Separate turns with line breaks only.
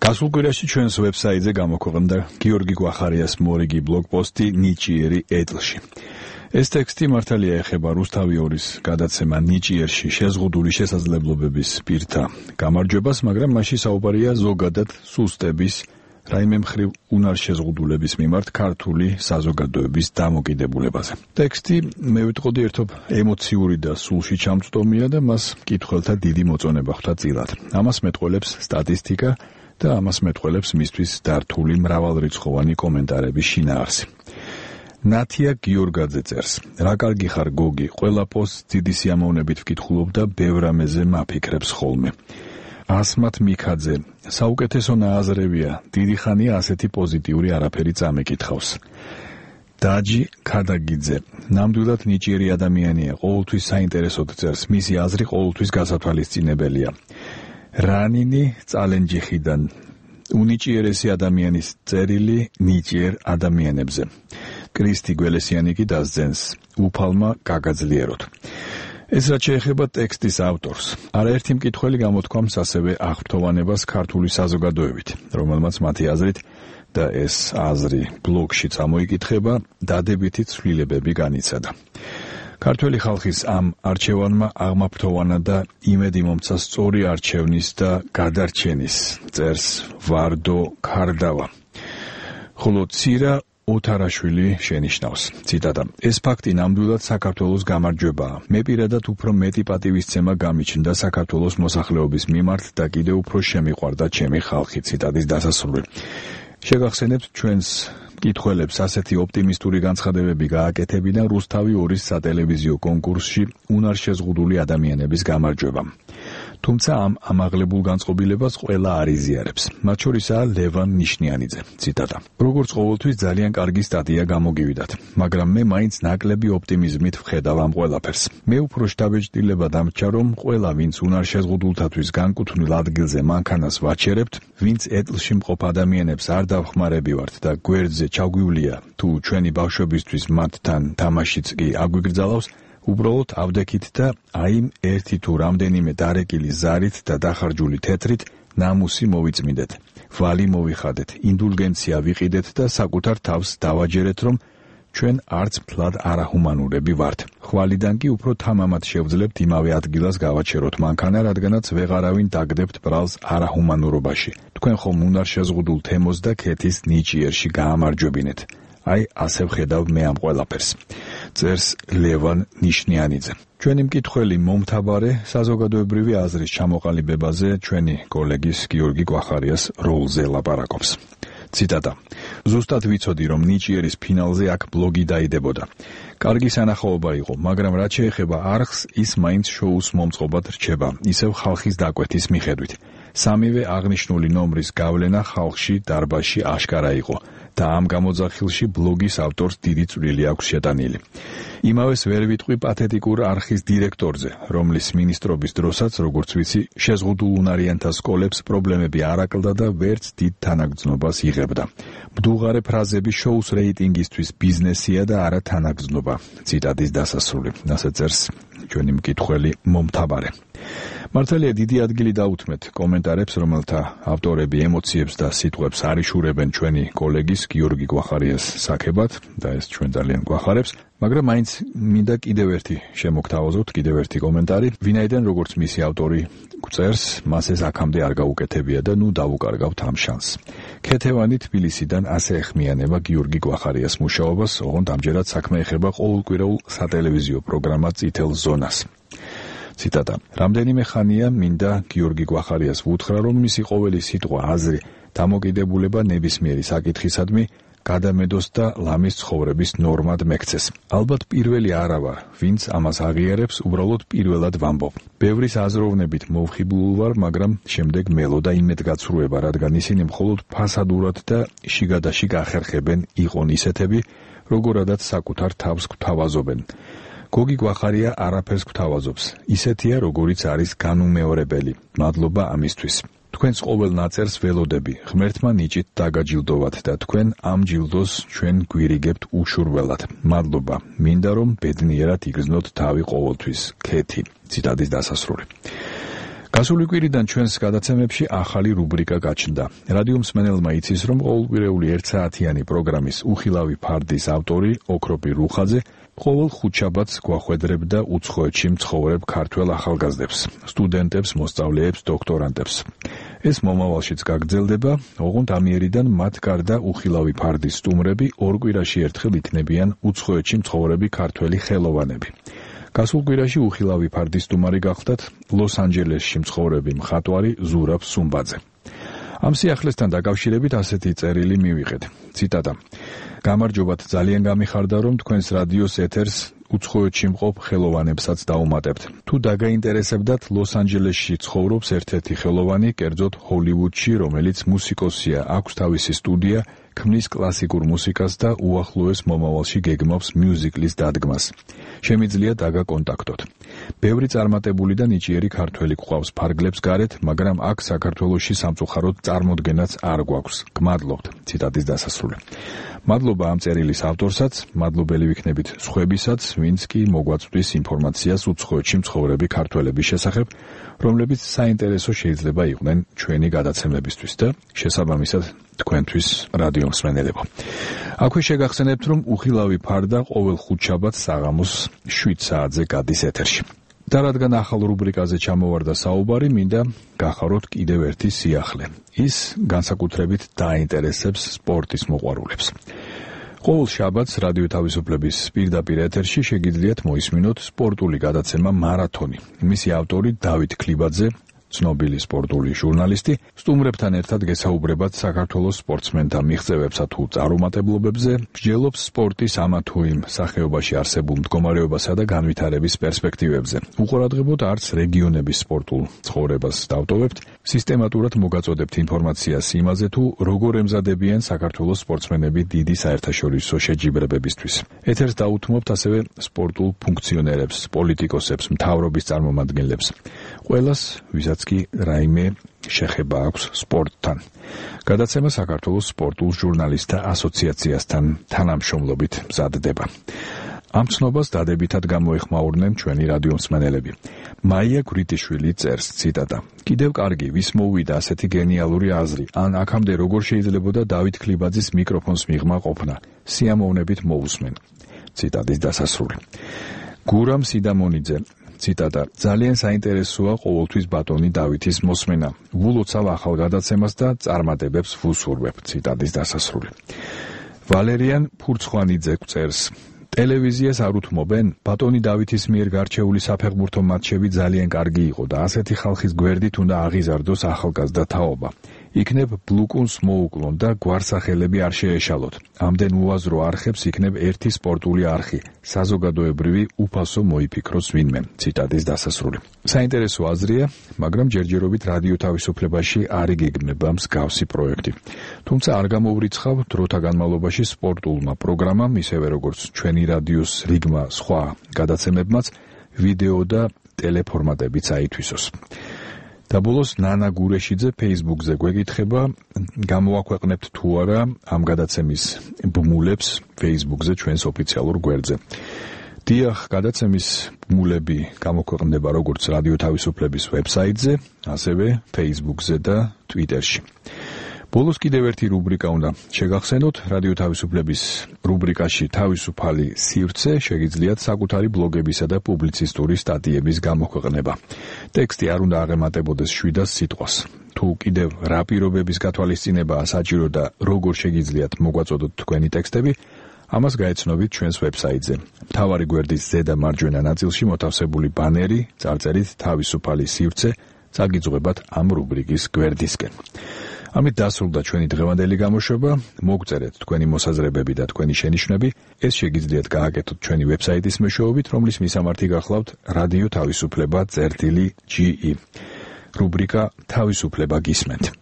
გასულ კვირაში ჩვენს ვებსაიტზე გამოქვეყნდა გიორგი გვახარიას მორიგი ბლოგპოსტი ნიჭიერი ეტლში. ეს ტექსტი მართალია ეხება რუსთავი 2-ის გადაცემა ნიჭიერში შეზღუდული შესაძლებლობების პირთა გამარჯვებას, მაგრამ მასში საუბარია ზოგადად სუსტების, რაიმე მხრივ უნარშეზღუდულების მიმართ ქართული საზოგადოების დამოკიდებულებაზე. ტექსტი, მე ვიტყოდი, ერთობ ემოციური და სულში ჩამწვდომია და მას მკითხველთა დიდი მოწონება ხვდა წილად. ამას მეტყველებს სტატისტიკა და ამას მეტყველებს მისთვის დართული მრავალრიცხოვანი კომენტარების შინაარსი. ნათია გიორგაძე წერს: რა კარგი ხარ გოგი, ყველა პოსტს დიდი სიამოვნებით ვკითხულობ და ბევრ რამეზე მაფიქრებს ხოლმე. ასმათ მიქაძე: საუკეთესო ნააზრევია, დიდი ხანია ასეთი პოზიტიური არაფერი წამეკითხავს. დაჯი ქადაგიძე: ნამდვილად ნიჭიერი ადამიანია, ყოველთვის საინტერესოდ წერს, მისი აზრი ყოველთვის გასათვალისწინებელია. რანინი წალენჯიხიდან: უნიჭიერესი ადამიანის წერილი ნიჭიერ ადამიანებზე. კრისტი გველესიანი კი დასძენს: უფალმა გაგაძლიეროთ. ეს რაც შეეხება ტექსტის ავტორს, არაერთი მკითხველი გამოთქვამს ასევე აღფრთოვანებას ქართული საზოგადოებით, რომელმაც მათი აზრით და ეს აზრი ბლოგში წამოიკითხება, დადებითი ცვლილებები განიცადა. ქართველი ხალხის ამ არჩევანმა აღმაფრთოვანა და იმედი მომცა სწორი არჩევნის და გადარჩენის, წერს ვარდო ქარდავა. ხოლო ცირა ოთარაშვილი შენიშნავს, ციტატა: ეს ფაქტი ნამდვილად საქართველოს გამარჯვებაა. მე პირადად უფრო მეტი პატივისცემა გამიჩნდა საქართველოს მოსახლეობის მიმართ და კიდევ უფრო შემიყვარდა ჩემი ხალხი. ციტატის დასასრული. შეგახსენებთ, ჩვენს მკითხველებს ასეთი ოპტიმისტური განცხადებები გააკეთებინა რუსთავი 2-ის სატელევიზიო კონკურსში უნარშეზღუდული ადამიანების გამარჯვებამ. თუმცა ამ ამაღლებულ განწყობილებას ყველა არ იზიარებს. მათ შორისაა ლევან ნიშნიანიძე. ციტატა: როგორც ყოველთვის ძალიან კარგი სტატია გამოგივიდათ, მაგრამ მე მაინც ნაკლები ოპტიმიზმით ვხედავ ამ ყველაფერს. მე უფრო შთაბეჭდილება დამრჩა, რომ ყველა, ვინც უნარშეზღუდულთათვის განკუთვნილ ადგილზე მანქანას ვაჩერებთ, ვინც ეტლში მყოფ ადამიანებს არ დავხმარებივართ და გვერდზე ჩაგვივლია, თუ ჩვენი ბავშვებისთვის მათთან თამაშიც კი აგვიგრძალავს, უბრალოდ ავდექით და აი ერთი თუ რამდენიმე დარეკილი ზარით და დახარჯული თეთრით ნამუსი მოვიწმინდეთ, ვალი მოვიხადეთ, ინდულგენცია ვიყიდეთ და საკუთარ თავს დავაჯერეთ, რომ ჩვენ არც მთლად არაჰუმანურები ვართ. ხვალიდან კი უფრო თამამად შევძლებთ იმავე ადგილას გავაჩეროთ მანქანა, რადგანაც ვეღარავინ დაგდებთ ბრალს არაჰუმანურობაში. თქვენ ხომ უნარშეზღუდულ თემოს და ქეთის ნიჭიერში გაამარჯვებინეთ. აი ასე ვხედავ მე ამ ყველაფერს. წერს ლევან ნიშნიანიძე. ჩვენი მკითხველი მომთაბარე საზოგადოებრივი აზრის ჩამოყალიბებაზე ჩვენი კოლეგის გიორგი გვახარიას როლზე ლაპარაკობს. ციტატა: ზუსტად ვიცოდი, რომ ნიჭიერის ფინალზე აქ ბლოგი დაიდებოდა. კარგი სანახაობა იყო, მაგრამ რაც შეეხება არხს, ის მაინც შოუს მომწყობად რჩება, ისევ ხალხის დაკვეთის მიხედვით. სამივე აღნიშნული ნომრის გავლენა ხალხში დარბაზში აშკარა იყო და ამ გამოძახილში ბლოგის ავტორს დიდი წვლილი აქვს შეტანილი. იმავეს ვერ ვიტყვი პათეტიკურ არხის დირექტორზე, რომლის მინისტრობის დროსაც, როგორც ვიცი, შეზღუდულ უნარიანთა სკოლებს პრობლემები არ აკლდა და ვერც დიდ თანაგრძნობას იღებდა. მდუღარე ფრაზები შოუს რეიტინგისთვის ბიზნესია და არა თანაგრძნობა. ციტატის დასასრული. ასე წერს ჩვენი მკითხველი მომთაბარე. მართალია დიდი ადგილი დაუთმეთ კომენტარებს, რომელთა ავტორები ემოციებს და სიტყვებს არიშურებენ ჩვენი კოლეგის გიორგი გვახარიას საქებად და ეს ჩვენ ძალიან გვახარებს, მაგრამ მაინც მინდა კიდევ ერთი შემოგთავაზოთ, კიდევ ერთი კომენტარი, ვინაიდან როგორც მისი ავტორი წერს, მას ეს აქამდე არ გაუკეთებია და ნუ დავუკარგავთ ამ შანსს. ქეთევანი თბილისიდან ასე ეხმიანება გიორგი გვახარიას მუშაობას, ოღონდ ამჯერად საქმე ეხება ყოველკვირეულ სატელევიზიო პროგრამა წითელ ზონას. ციტატა: რამდენიმე ხანია მინდა გიორგი გვახარიას ვუთხრა, რომ მისი ყოველი სიტყვა, აზრი, დამოკიდებულება ნებისმიერი საკითხისადმი გადამედოს და ლამის ცხოვრების ნორმად მექცეს. ალბათ პირველი არა ვარ, ვინც ამას აღიარებს, უბრალოდ პირველად ვამბობ. ბევრის აზროვნებით მოვხიბლულ ვარ, მაგრამ შემდეგ მელოდა იმედგაცრუება, რადგან ისინი მხოლოდ ფასადურად და შიგადაშიგ ახერხებენ იყონ ისეთები, როგორადაც საკუთარ თავს გვთავაზობენ. გოგი გვახარია არაფერს გვთავაზობს, ისეთია, როგორიც არის განუმეორებელი. მადლობა ამისთვის. თქვენს ყოველ ნაწერს ველოდები, ღმერთმა ნიჭით დაგაჯილდოვათ და თქვენ ამ ჯილდოს ჩვენ გვირიგებთ უშურველად. მადლობა, მინდა რომ ბედნიერად იგრძნოთ თავი ყოველთვის. ქეთი. ციტატის დასასრული. გასული კვირიდან ჩვენს გადაცემებში ახალი რუბრიკა გაჩნდა. რადიო მსმენელმა იცის, რომ ყოველკვირეული 1 საათიანი პროგრამის უხილავი ფარდის ავტორი ოქროპი რუხაძე ყოველ ხუთშაბათს გვახვედრებდა უცხოეთში მცხოვრებ ქართველ ახალგაზრდებს, სტუდენტებს, მოსწავლეებს, დოქტორანტებს. ეს მომავალშიც გაგრძელდება, ოღონდ ამიერიდან მათ გარდა უხილავი ფარდის სტუმრები 2 კვირაში ერთხელ იქნებიან უცხოეთში მცხოვრები ქართველი ხელოვანები. გასულ კვირაში უხილავი ფარდის სტუმარი გახლდათ ლოს-ანჯელესში მცხოვრები მხატვარი ზურაბ სუმბაძე. ამ სიახლესთან დაკავშირებით ასეთი წერილი მივიღეთ. ციტატა: გამარჯობათ, ძალიან გამიხარდა, რომ თქვენს რადიოს ეთერს უცხოეთში მყოფ ხელოვანებსაც დაუმატებთ. თუ დაგაინტერესებდათ, ლოს-ანჯელესში ცხოვრობს ერთ-ერთი ხელოვანი, კერძოდ ჰოლივუდში, რომელიც მუსიკოსია, აქვს თავისი სტუდია, ქმნის კლასიკურ მუსიკას და უახლოეს მომავალში გეგმავს მიუზიკლის დადგმას. შემიძლია დაგაკონტაქტოთ. ბევრი წარმატებული და ნიჭიერი ქართველი გვყავს ფარგლებს გარეთ, მაგრამ აქ საქართველოში სამწუხაროდ წარმოდგენაც არ გვაქვს. გმადლობთ. ციტატის დასასრული. მადლობა ამ წერილის ავტორსაც, მადლობელი ვიქნებით სხვებისაც, ვინც კი მოგვაწვდის ინფორმაციას უცხოეთში მცხოვრები ქართველების შესახებ, რომლებიც საინტერესო შეიძლება იყვნენ ჩვენი გადაცემებისთვის და შესაბამისად თქვენთვის რადიო მსმენელებო. აქვე შეგახსენებთ, რომ უხილავი ფარდა ყოველ ხუთშაბათს საღამოს 7 საათზე გადის ეთერში. და რადგან ახალ რუბრიკაზე ჩამოვარდა საუბარი, მინდა გახაროთ კიდევ ერთი სიახლე. ის განსაკუთრებით დაინტერესებს სპორტის მოყვარულებს. ყოველ შაბათს რადიო თავისუფლების პირდაპირ ეთერში შეგიძლიათ მოისმინოთ სპორტული გადაცემა მარათონი. მისი ავტორი დავით ქლიბაძე, ცნობილი სპორტული ჟურნალისტი, სტუმრებთან ერთად გესაუბრებათ საქართველოს სპორტსმენთა მიღწევებსა თუ წარუმატებლობებზე, მსჯელობს სპორტის ამა თუ იმ სახეობაში არსებულ მდგომარეობასა და განვითარების პერსპექტივებზე. უყურადღებოდ არც რეგიონების სპორტულ ცხოვრებას დავტოვებთ, სისტემატურად მოგაწოდებთ ინფორმაციას იმაზე თუ როგორ ემზადებიან საქართველოს სპორტსმენები დიდი საერთაშორისო შეჯიბრებებისთვის. ეთერს დაუთმობთ ასევე სპორტულ ფუნქციონერებს, პოლიტიკოსებს, მთავრობის წარმომადგენლებს. ყველას, ვისაც კი რაიმე შეხება აქვს სპორტთან. გადაცემა საქართველოს სპორტულ ჟურნალისტთა ასოციაციასთან თანამშრომლობით მზადდება. ამ ცნობას დადებითად გამოეხმაურნენ ჩვენი რადიო მსმენელები. მაია გვრიტიშვილი წერს, ციტატა: კიდევ კარგი, ვის მოუვიდა ასეთი გენიალური აზრი, ან აქამდე როგორ შეიძლებოდა დავით ქლიბაძის მიკროფონს მიღმა ყოფნა. სიამოვნებით მოусმენ. ციტატის დასასრული. გურამ სიდამონიძე, ციტატა: ძალიან საინტერესოა ყოველთვის ბატონი დავითის მოსმენა. ვულოცავ ახალ გადაცემას და წარმატებებს ვუსურვებ. ციტატის დასასრული. ვალერიან ფურცხვანიძე წერს: ტელევიზიას არ უთმობენ? ბატონი დავითის მიერ გარჩეული საფეხბურთო მატჩები ძალიან კარგი იყო და ასეთი ხალხის გვერდით უნდა აღიზარდოს ახალგაზრდა თაობა. იქნებ ბლუკუნს მოუკლონ და გვარსახელები არ შეეშალოთ. ამდენ უაზრო არხებს იქნებ ერთი სპორტული არხი, საზოგადოებრივი უფასო მოიფიქროს ვინმე. ციტატის დასასრული. საინტერესო აზრია, მაგრამ ჯერჯერობით რადიო თავისუფლებაში არ იგეგმება მსგავსი პროექტი. თუმცა არ გამოვრიცხავ დროთა განმავლობაში სპორტულმა პროგრამამ, ისევე როგორც ჩვენი რადიოს რიგმა სხვა გადაცემებმაც, ვიდეო და ტელეფორმატებიც აითვისოს. და ბოლოს ნანა გურეშიძე Facebook-ზე გვეკითხება, გამოაქვეყნებთ თუ არა ამ გადაცემის ბმულებს Facebook-ზე ჩვენს ოფიციალურ გვერდზე. დიახ, გადაცემის ბმულები გამოქვეყნდება როგორც რადიო თავისუფლების ვებსაიტზე, ასევე Facebook-ზე და Twitter-ში. ბოლოს კიდევ ერთი რუბრიკა უნდა შეგახსენოთ. რადიო თავისუფლების რუბრიკაში თავისუფალი სივრცე შეგიძლიათ საკუთარი ბლოგებისა და პუბლიცისტური სტატიების გამოქვეყნება. ტექსტი არ უნდა აღემატებოდეს 700 სიტყვას. თუ კიდევ რა პირობების გათვალისწინებაა საჭირო და როგორ შეგიძლიათ მოგვაწოდოთ თქვენი ტექსტები, ამას გაეცნობით ჩვენს ვებსაიტზე. მთავარი გვერდის ზედა მარჯვენა ნაწილში მოთავსებული ბანერი, წარწერით თავისუფალი სივრცე, წაგიძღვებათ ამ რუბრიკის გვერდისკენ. ამით დასრულდა ჩვენი დღევანდელი გამოშვება. მოგწერეთ თქვენი მოსაზრებები და თქვენი შენიშვნები. ეს შეგიძლიათ გააკეთოთ ჩვენი ვებსაიტის მეშვეობით, რომლის მისამართი გახლავთ რადიო თავისუფლება წერტილი GE. რუბრიკა თავისუფლება გისმენთ.